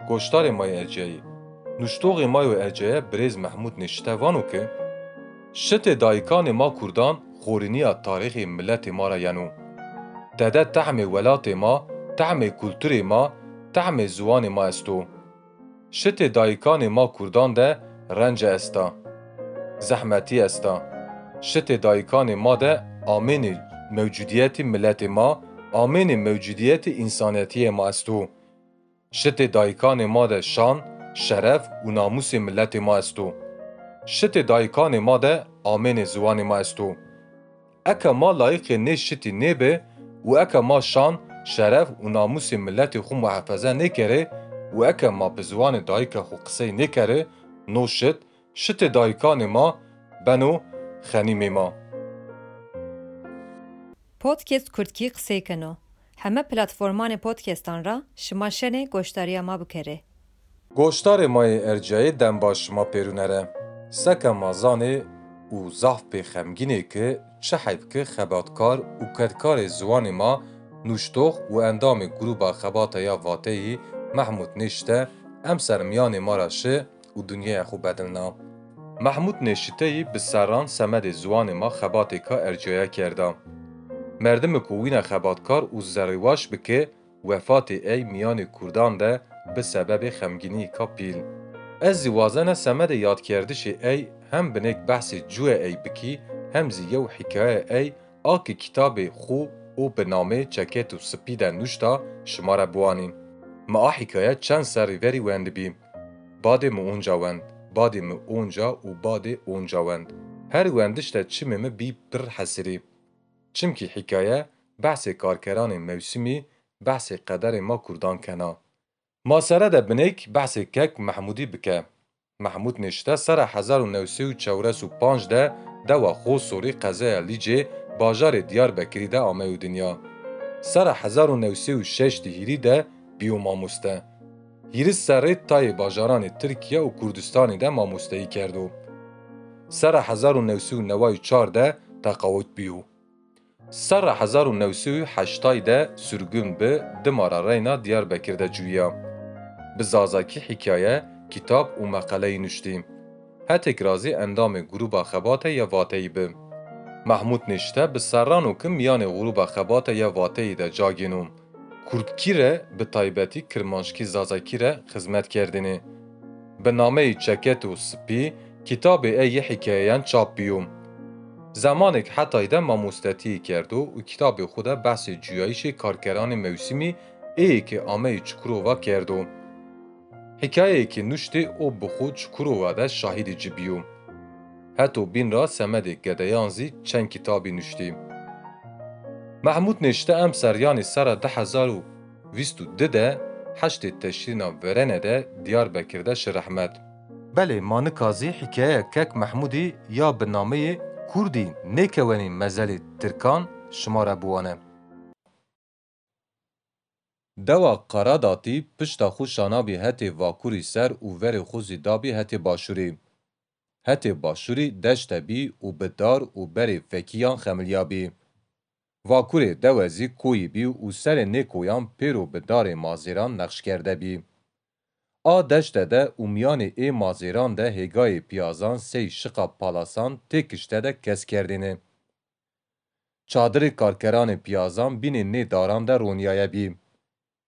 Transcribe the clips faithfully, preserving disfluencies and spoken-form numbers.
Goştarê ma yê erciyayî. Nuştoxê ma yo erciyaye birêz Mehmûd Nêşite vano ki, şitê dayikanê ma kurdan xorîniya tarîxê miletê ma re yeno. Tede tehmê welatê ma, tehmê kulturê ma, tehmê ziwanê ma esto. Şitê dayikanê ma kurdan de rence esta, zehmetî esta. Şitê dayikanê ma de amênê mewcudiyetî miletê ma, amênê mewcudiyetî însanetiyê ma esto. Şitê dayikanê ma de şan, şeref û namûsê miletê ma esto. Şitê dayikanê ma de amênê ziwanê ma esto. Eke ma layiqê nê şitî nêbe û eke ma şan, şeref û namûsê miletê xwe muhefeze nêkerê û eke ma bi ziwanê dayika xwe qisey nêkerê, no şit, şitê dayikanê ma beno xenîmê ma. Podcast Kurdkî qisey keno. Heme platformanê podcastan ra şima şenê goşdariya ma bikerê. Goşdarê ma yê erciyayê dem baş şima pêrûne re. Seke ma zanê û zaf pê xemgînê ki çi heyf ki xebatkar û kedkarê ziwanê ma, nûştox û endamê Grûba Xebata ya Vateyî Mehmûd Nêşite emser miyanê ma ra şi û dinyaya xwe bedilna. Mehmûd Nêşiteyî bi serran semedê ziwanê ma xebatêka erciyaya kerda. Merdimê ku wîna xebatkar û zerrîwaş bike, wefatê ey miyanê kurdan de bi sebebê xemgîniyîka pîl. Ez zî wazena semedê yadkerdişê ey hem binêk behsê cûyê ey bikî, hem zî yew hîkaye ey a ki kitabê xwe û bi namê Çeket û Spî de nuşta, şima re biwanî. Mi a hîkaye çend serrî verî wendibî. Badê mi onca wend, badê mi onca û badê onca wend. Her wendiş de çimê mi bî pir hesirî. Çimkî hîkaye behsê karkeranê mewsimî, behsê qederê ma kurdan kena. Ma sere de binêk behsê kek Mehmûdî bike. Mehmûd Nêşte sera hezar û new sey û çewres û panc de dewa Xosorî qezeya Lîcê bajarê Diyarbekirî de ameyo dinya. Sera hezar û new sey û şeş di hîrî de bîyo mamoste. Hîris serrê tayê bajaranê Tirkiye û Kurdistanê de mamosteyî kerdo. Sera hezar û new sey û neway û çar de teqawit bîyo. Serra hezar û new sey û heştay de sirgûn bi, dima re reyna Diyarbekir de ciwiya. Bi zazakî hîkaye, kitab û meqeleyî nuştî. Hetek ra zî endamê Grûba Xebate ya Vateyî bi. Mehmûd Nêşte bi serran û ki miyanê Grûba Xebate ya Vateyî de ca gêno. Kurdkî re, bi taybetî kirmanckî zazakî re xizmet kerdinê. Bi nameyê Çeket û Spî kitabê ey yê hîkayeyan çap bîyo. Zemanêk hetayî de mamostetiyê kerdo û kitabê xwe de behsê cuyayîşê karkeranê mewsimî ê yê ke ameyê Çukurova kerdo. Hîkayeyê ke nuştê û bi xwe Çukurova de şahidê ci bîyo. Heto bîn ra semedê gedeyan zî çend kitabî nuştî. Mehmûd Nêşte emser yanî sera du hezar û vîst û du de heştê Teşrîna verene de Diyarbekir de şi rehmet. Belê ma nika zî hîkayeya Kek Mehmûdî ya bi nameyê Kurdî nêkewenî mezelê Tirkan şima re biwane. Dewa Qaradatî pişta xwe şanabî hetê Vakurî ser û verê xwe zî dabî hetê Başûrî. Hetê Başûrî deşte bî û bi dar û berê fekiyan xemiliyabî. Vakurê dewe zî koyî bî û serê nê koyan pêro bi darê mazêran nexş kerde bî. A deşte de û miyanê ê mazêran de hêgayê piyazan sey şiqa palasan tê kişte de kes kerdêne. Çadirê karkeranê piyazan bînê nê daran de ronîyaye bî.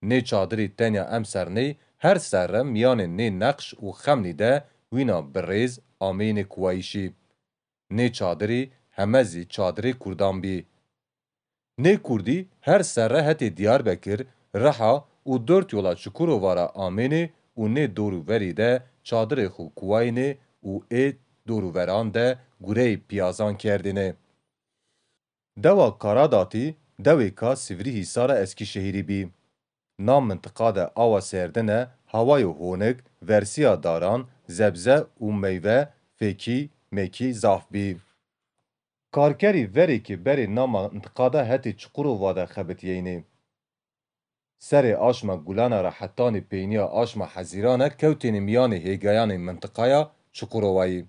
Nê çadirî tenya emser ney her serre miyanê nê neqş û xemlî de wîna bi rêz ameyînê kuwayîşî. Nê çadirî heme zî çadirê kurdan bî. Nê kurdî her serre hetê Diyarbekir, Riha û dört yola Çukurova ra amênê û nê dor û verî de çadirê xwe kuwayînê û ê dor û veran de gureyê piyazan kerdêne. Dewa Karadatî dewêka Sivrîhîsara Eskîşehîrî bî. Na mintiqa de awa serdin e, hawayo honik, versiya daran, zebze û meyve, fêkî, mekî zaf bî. Karkerî verê ke berê na mintiqa de hetê Çukurova de xebitiyeynê. Serê aşma Gulana ra hetanî peynîya aşma Hezîrane kewtêne miyanê hêgayanê mintiqaya Çukurovayî.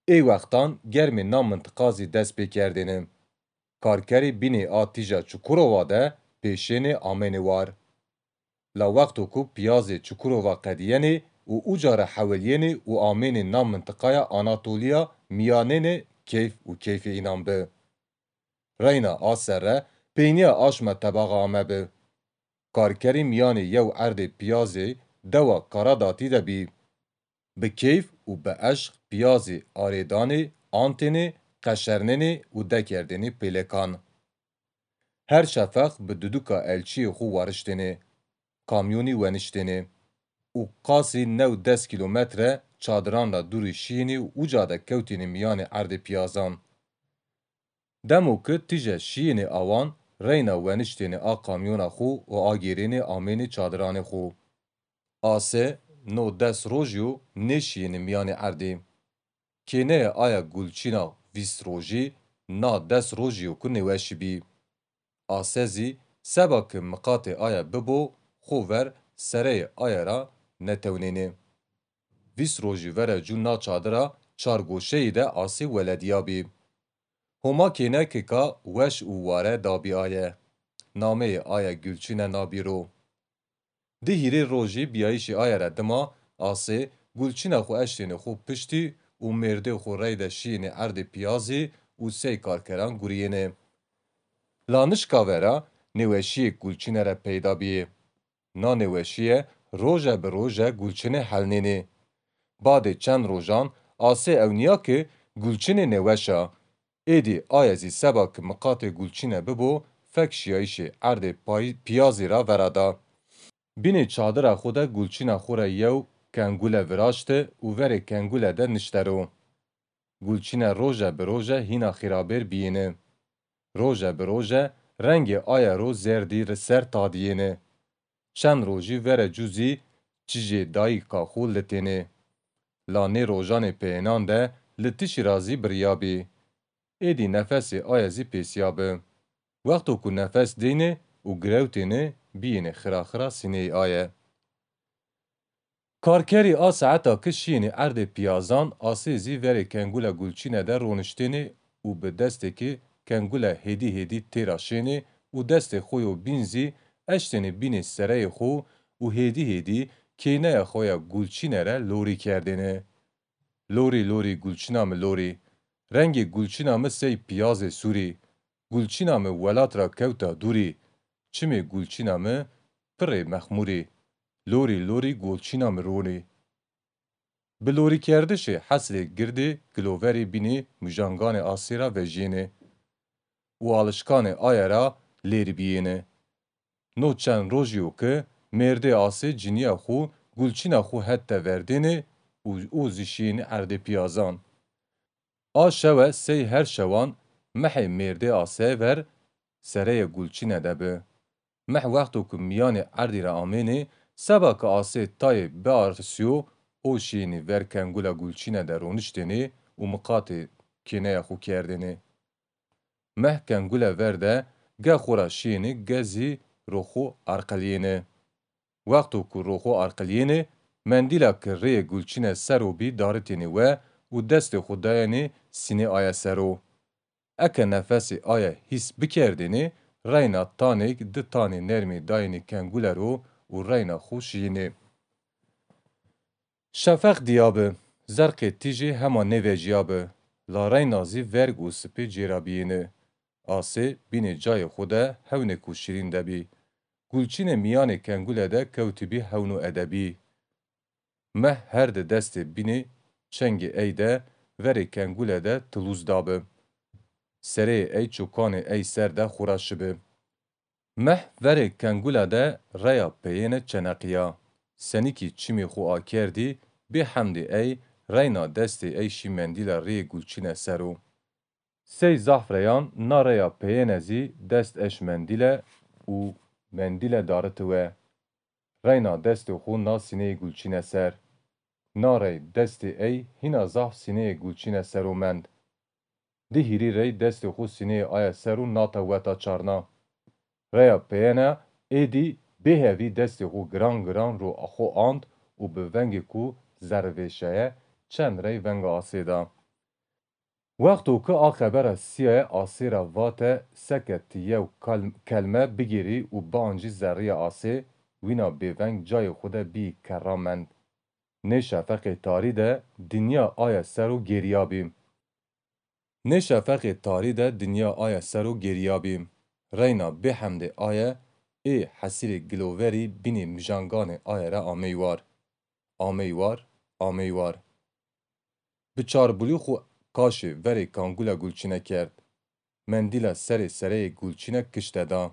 Ê wextan germê na mintiqa zî dest pê kerdêne. Karkerî bînê a tîja Çukurova de pêşênê amênê war. La wexto ku piyazê Çukurova qediyênê û uca re hewiliyênê û amênê na mintiqaya Anatoliya miyanênê keyf û keyfê înan bi. Reyna a serre peyniya aşma tebaxa ame bi. Karkerî miyanê yew erdê piyazê dewa Karadatî de bî. Bi keyf û bi eşq piyazê arêdanê, antênê, qeşernênê û dekerdênê pêlekan. Her şefeq bi duduka elçiyê xwe wariştênê, kamyonî weniştênê û qasî new des kîlometre çadiran ra dûrî şiyênê û uca de kewtênê miyanê erdê piyazan. Demo ki tije şiyênê awan reyna weniştênê a kamyona xwe û agêrênê amênê çadiranê xwe. Ase no des rojî yo nêşiyênê miyanê erdê. Kêneyê aya Gulçîna vîst rojî na des rojî yo ku nêweşî bî. Ase zî seba ki miqatê aya bibo, xo ver sereyê aya ra netewnênê. Vîst rojî vere cû na çadira çargoşeyî de Asê welediya bî. Homa kênekêka weş û ware dabî aye. Nameyê aye Gulçîne nabî ro. Di hîrê rojî biyayîşê aye re dima Asê Gulçîna xwe eştênê xwe piştî û mêrdê xwe reyde şiyênê erdê piyazî û sey karkeran guriyênê. La nişka vera nêweşiyêk Gulçîne re peyda biyê. Na nêweşiye roje bi roje Gulçinê helnênê. Badê çend rojan Asê ewniya ki Gulçinê nêweş a. Êdî aye zî seba ki miqatê Gulçine bibo, fek şiyayîşê erdê pay-, piyazî ra vera da. Bînê çadira xwe de Gulçina xwe re yew kengule viraşti û verê kengule de nişte ro. Gulçine roje bi roje hîna xirabêr biyêne. Roje bi roje rengê aye ro zerdî ri ser tadiyêne. Çend rojî vere cû zî çijê dayika xwe litêne. La nê rojanê peyênan de li tişî ra zî biriyabî. Êdî nefesê aye zî pêsiyabi. Wexto ku nefes deyne û girewtêne, biyêne xira xira sîneyê aye. Karkerî a saeta ki şiyênê erdê piyazan, Asê zî verê kengula Gulçîne de roniştêne û bi destêkê kengula hêdî hêdî têra şênê û destê xwe yo bîn zî eştêne bînê sereyê xwe û hêdî hêdî kêneya xwe ya Gulçîne re lorî kerdêne. Lorî lorî Gulçîna mi lorî. Rengê Gulçîna mi sey piyazê sûrî. Gulçîna mi welat ra kewta dûrî. Çimê Gulçîna mi pirê mexmûrî. Lorî lorî Gulçîna mi ronî. Bi lorîkerdişê hesrê girdê giloverê bînê mujanganê Asê ra vejiyêne û alişkanê aye ra lêrî biyêne. No çend rojî yo ki mêrdê Asê ciniya xwe, Gulçîna xwe het teverdêne û o zî şiyêne erdê piyazan. A şewe sey her şewan mehê mêrdê Asê ver sereyê Gulçîne de bi. Meh wexto ku miyanê erdî re amênê, seba ki Asê tayê biarisiyo, o şiyênî ver kengula Gulçîne de roniştênê û miqatê kêneya xwe kerdênê. Meh kengule ver de ge xwe ra şiyênê ge zî ro xwe arqeliyêne. Wexto ku ro xwe arqeliyêne, mendîla ki rêyê Gulçîne ser o bî daritênê we û destê xwe dayênê sînê aye ser o. Eke nefesê aye hîs bikerdênê, reyna tanêk di tanê nermê dayênê kengule ro û reyna xwe şiyênê. Şefeq diyabi, zerqê tîjê hema nêveciyabi, la reyna zî verg û sipê cêra biyêne. Asê bînê cayê xwe de hewnêk û şirîn de bî. Gulçînê miyanê kengule de kewtibî hewn û edebî. Meh her di destê bînê çengê ey de verê kengule de tilûz dabi. Sereyê ey çokanê ey ser de xwe ra şibi. Meh verê kengula de reya peyêne çeneqiya. Senîkî çimê xwe akerdî, bê hemdê ey reyna destê ey şî mendîla rêyê Gulçîne ser o. Sey zahf reyan na reya peyêne zî dest eş mendîle û mendîle dariti we. Reyna destê xwe na sîneyê Gulçîne ser. Na rey destê ey hîna zahf sîneyê Gulçîne ser o mend. Di hîrî rey destê xwe sîneyê aye ser û nata weta çarna. Reya peyêne êdî bêhevî destê xwe giran giran ro xwe ant û bi vengê ku zerrivêşaye çend rey venga Asê da. Wexto ku a xebera siyaye Asê ra vate seke ti yew kal-, kelme bigêrî û biancî zerriya Asê, wîna bêveng cayê xwe de bî kerra mend. Nê şefeqê tarî de dinya aye ser û gêriyabî. Nê şefeqê tarî de dinya aye ser û gêriyabî. Reyna bêhemdê aye ê hesîrê giloverî bînî mijanganê aye re amey war. Amey war, amey war. Bi çarbulî xwe kaşê verê kangula gulçîne kerd. Mendîla serê sereyê gulçîne kişte da.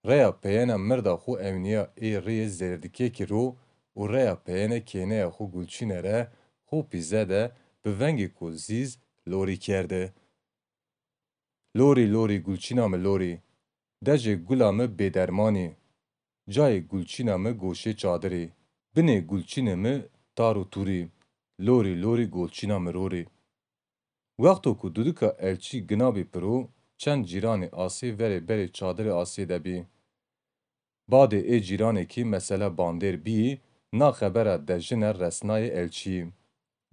Reya peyena mirda xwe ewniya ê riyê zêrdikêkî ro û reya peyene kêneya xwe gulçîne re xwe pîze de bi vengêko zîz lorî kerde. Lorî lorî gulçîna mi lorî, dejê gula mi bêdermanî, cayê gulçîna mi goşê çadirî, binê gulçînê mi tar û tûrî, lorî lorî gulçîna mi rorî. Wexto ku dudika elçî ginabî piro, çend cîranê asê verê berê çadirê asê de bî. Badê ê cîranekî mesele bandêr bî, na xebera dejine resnayê elçî.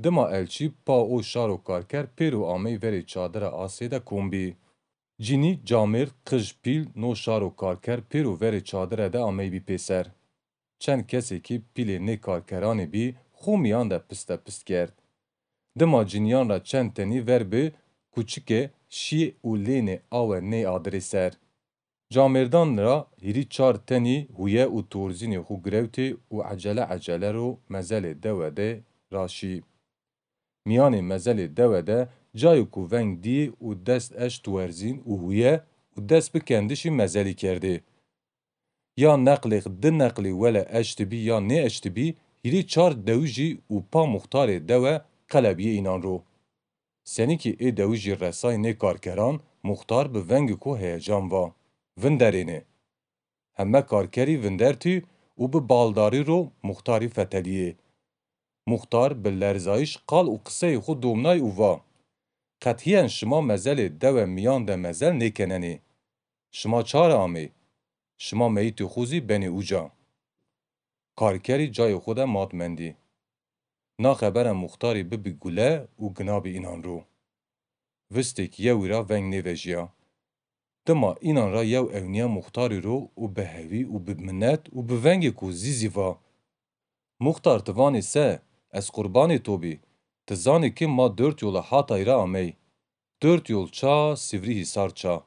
Dima elçî pa û şaro karker pêro amey verê çadira asê de kom bî. Cinî, camêrd, qij, pîl, no şaro karker pêro verê çadire de ameybî pêser. Çend kesekî pîlê nê karkeranê bî xo miyan de piste pist kerd. Dima ciniyan ra çend tenî ver bi kuçike şî û lênê awe nê adirê ser. Camêrdan ra hîrî çar tenî huye û torzînê xo girewtê û ecele ecele ro mezelê dewe de raşî. Miyanê mezelê dewe de cayê ku veng dî û dest eşt werzîn û huye û dest bi kendişî mezelî kerdê. Ya neqlêx di neqlî wele eştibî ya nêeştibî, hîrî çar dewijî û pa muxtarê dewe qelebiyê înan ro. Senîkî ê dewijî resay nê karkeran, muxtar bi vengêko heyecan va: Vinderêne! Heme karkerî vindertî û bi baldarî ro muxtarî feteliyê. Muxtar bi lerzayîş qal û qiseyê xo domnay û va: Qethiyen şima mezelê dewe miyan de mezel nêkenenê. Şima çare amê? Şima meyîtê xo zî benê uca. Karkerî cayê xo de mat mendî. Na xebere muxtarî bibî gule û ginabî înan ro. Vistêk yewî ra veng nêvejiya. Dima înan ra yew ewniya muxtarî ro û bi hevî û bi minet û bi vengêko zîzî va: Muxtar, ti vanê se? Ez qurbanê to bî. Ti zanî ki ma dört yola hatay ra amey. Dört yol ça, Sivrî Hîsar ça.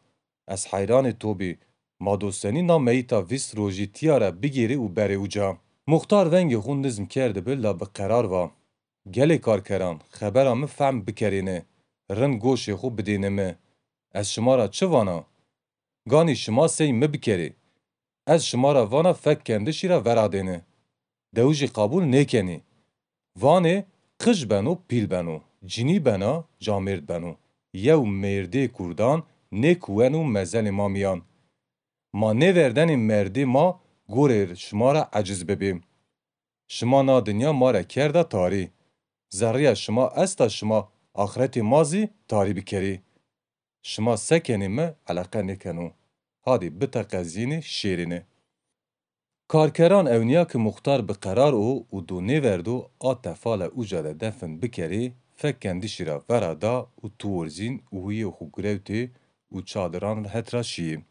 Ez heyranê to bî. Ma do senî na meyîta vîst rojî tîya re bigêrê û berê uca? Muxtar vengê xo nizm kerdibi la bi qerar va: Gelê karkeran, xebera mi fehm bikerêne, rind goşê xo bidêne mi. Ez şima ra çi vana? Ganî şima sey mi bikerê. Ez şima ra vana fek kendişî ra veradêne. Dewijî qabûl nêkenî. Vanê qij beno, pîl beno, cinî bena, camêrd beno. Yew mêrdê kurdan nêkuweno mezelê ma miyan. Ma nêverdenê merdê ma gorê şima ra eciz bibê. Şima na dinya ma re kerda tarî. Zerrîya şima esta şima axretê ma zî tarî bikerî. Şima se kenê mi eleqe nêkeno. Hadî biteqezînê şêrêne. Karkeran ewniya ki muxtar bi qerar o û do nêverdo a tefale uca de defin bikerê, fek kendişî ra vera da û tuworzîn û huyê xo girewtê û çadiran het ra şiyê.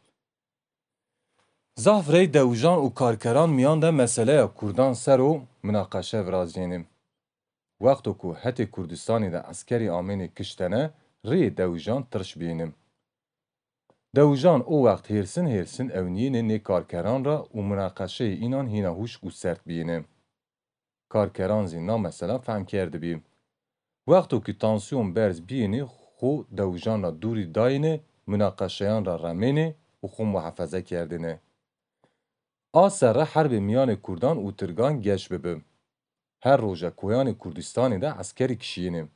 Zaf rey dewijan û karkeran miyan de meseleya kurdan ser o minaqeşe viraziyêne. Wexto ku hetê Kurdistanê de eskerî amêne kiştene, riyê dewijan tirş biyêne. Dewijan o wext hêrsin hêrsin ewniyêne nê karkeran ra û minaqeşeyê înan hîna huşk û sert biyêne. Karkeran zî na mesela fehm kerdibî. Wexto ki tansiyon berz biyêne, xo dewijan ra dûrî dayêne, minaqeşeyan ra remêne û xo muhefeze kerdêne. A serre herbê miyanê kurdan û tirgan geş bibi. Her roje koyanê Kurdistanê de eskerî kişiyêne.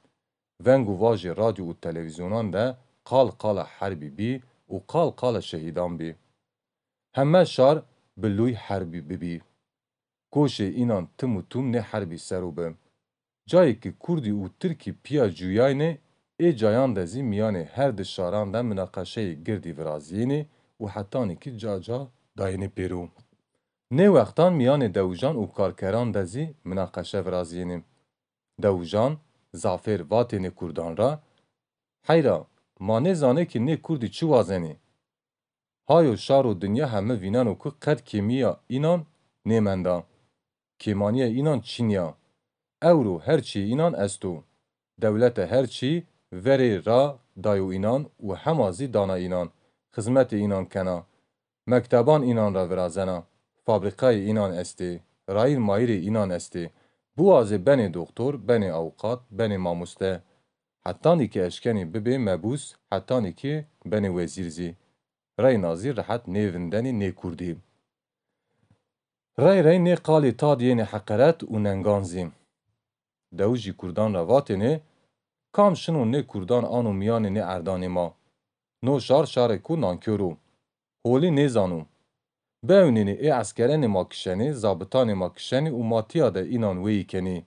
Veng û vajê radyo û televîzyonan de qal qala herbî bî û qal qala şehîdan bî. Heme şar bi lûy herbî bibî. Goşê înan tim û tum nê herbî ser o bi. Cayê ki kurdî û tirkî piya cuyayne, ê cayan de zî miyanê her di şaran de minaqeşeyê girdî viraziyêne û hetanî ki ca ca dayêne pêro. Nê wextan miyanê dewijan û karkeran de zî minaqeşe viraziyêne. Dewijan zafêr vatêne kurdan ra: Heyra, ma nêzanê ki nê kurdî çi wazenê? Hayo şar û dinya heme vîneno ku qet kêmîya înan nêmenda. Kêmaniyê înan çîniya. Ewro her çî înan esto. Dewlete her çî verê ra dayo înan û hema zî dana înan. Xizmetê înan kena. Mekteban înan ra virazena. Fabrîkayê înan estê. Rayîr mayîrê înan estê. Biwazê benê doxtor, benê awqat, benê mamoste. Hetanî ki eşkenî bibê mebûs, hetanî ki benê wezîr zî. Reyna zî rehet nêvindenî nê kurdî. Rey rey nê qalê tad yenê heqeret û nengan zî. Dewijî kurdan ra vatêne, kam şino nê kurdan ano miyanê nê erdanê ma. No şar şarêko nankor o. Holî nêzano. Biewnêne ê eskerenê ma kişenê, zabitanê ma kişenê û ma tiya de înan wêyî kenê.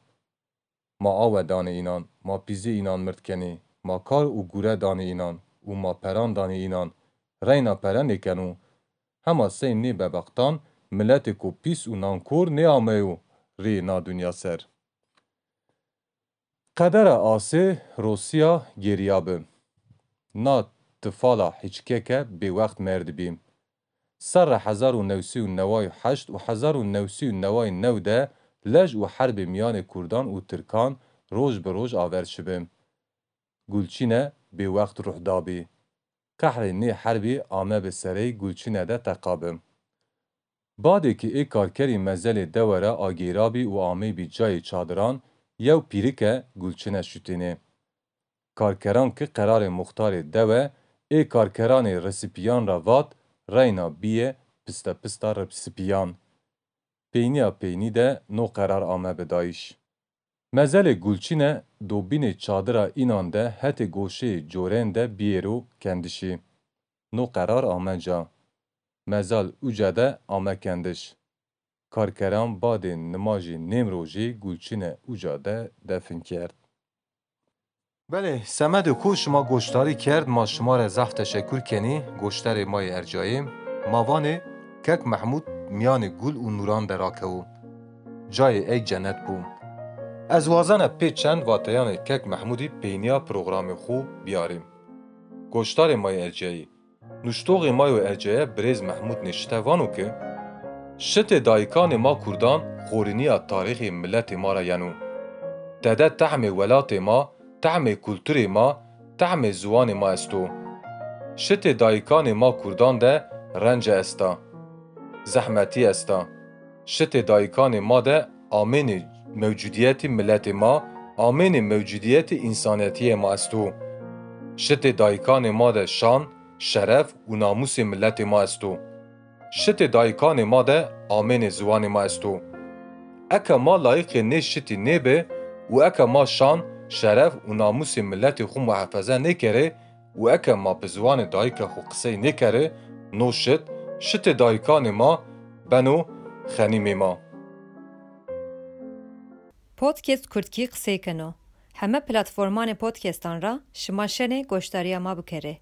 Ma awe danê înan, ma pîzê înan mird kenê, ma kar û gure danê înan û ma peran danê înan, reyna pere nêkeno. Hema sey nê bebextan miletêko pîs û nankor nêameyo rê na dinya ser. Qedera asê rosiya gêriya bi. Na tifala hiçkeke bêwext merdibî. Serra hezar û newsî û neway û heşt û hezar û newsî û neway û new de lej û herbê miyanê kurdan û tirkan roj bi roj aver şibi. Gulçîne bêwext ruh dabî. Qehrê nê herbî ame bi serey Gulçîne de teqabi. Badê ki ê karkerî mezelê dewe ra agêrabî û ameybî cayê çadiran, yew pîrike Gulçîne şutênê. Karkeran ki qerarê muxtarê dewe, ê karkeranê risipîyan ra vat, reyna bîye pistepista risipîyan. Peynîya peynî de no qerar ame bi dayîş. Mezelê Gulçîne dobînê çadira înan de hetê goşeyê corên de biyêro kendişî. No qerar ame ca. Mezal uca de ame kendiş. Karkeran badê nimajê nêmrojê Gulçîne uca de defin kerd. Belê, semedê ku şima goşdarî kerd, ma şima re zehf teşekur kenî, goşdarê ma yê ercayê. Ma vanê, Kek Mehmûd miyanê gul û nûran de rakewo. Cayê ey cenet bû. Ez wazena pê çend vateyanê Kek Mehmûdî peynîya programê xo biyarîm. Goşdarê ma yê ercayê. Nuştoxê ma yo erceye birêz Mehmûd Nêşite vano ki, şitê dayikanê ma kurdan xorîniya tarîxê miletê ma ra yeno. Tede tehmê welatê ma, tehmê kulturê ma, tehmê ziwanê ma esto. Şitê dayikanê ma kurdan de rence esta. Zehmetî esta. Şitê dayikanê ma de amênê mewcudiyetî miletê ma, amênê mewcudiyetî însanetiyê ma esto. Şitê dayikanê ma de şan, şeref û namûsê miletê ma esto. Şitê dayikanê ma de amênê ziwanê ma esto. Eke ma layîqê nê şitî nêbi û eke ma şan, şeref û namûsê miletê xwe muhefeze nêkerê, û eke ma bi ziwanê dayika xwe qisey nêkerê, no şit, şitê dayikanê ma beno xenîmê ma. Podcast Kurdkî qisey keno. Heme platformanê podcastan ra şima şenê goşdariya ma bikerê.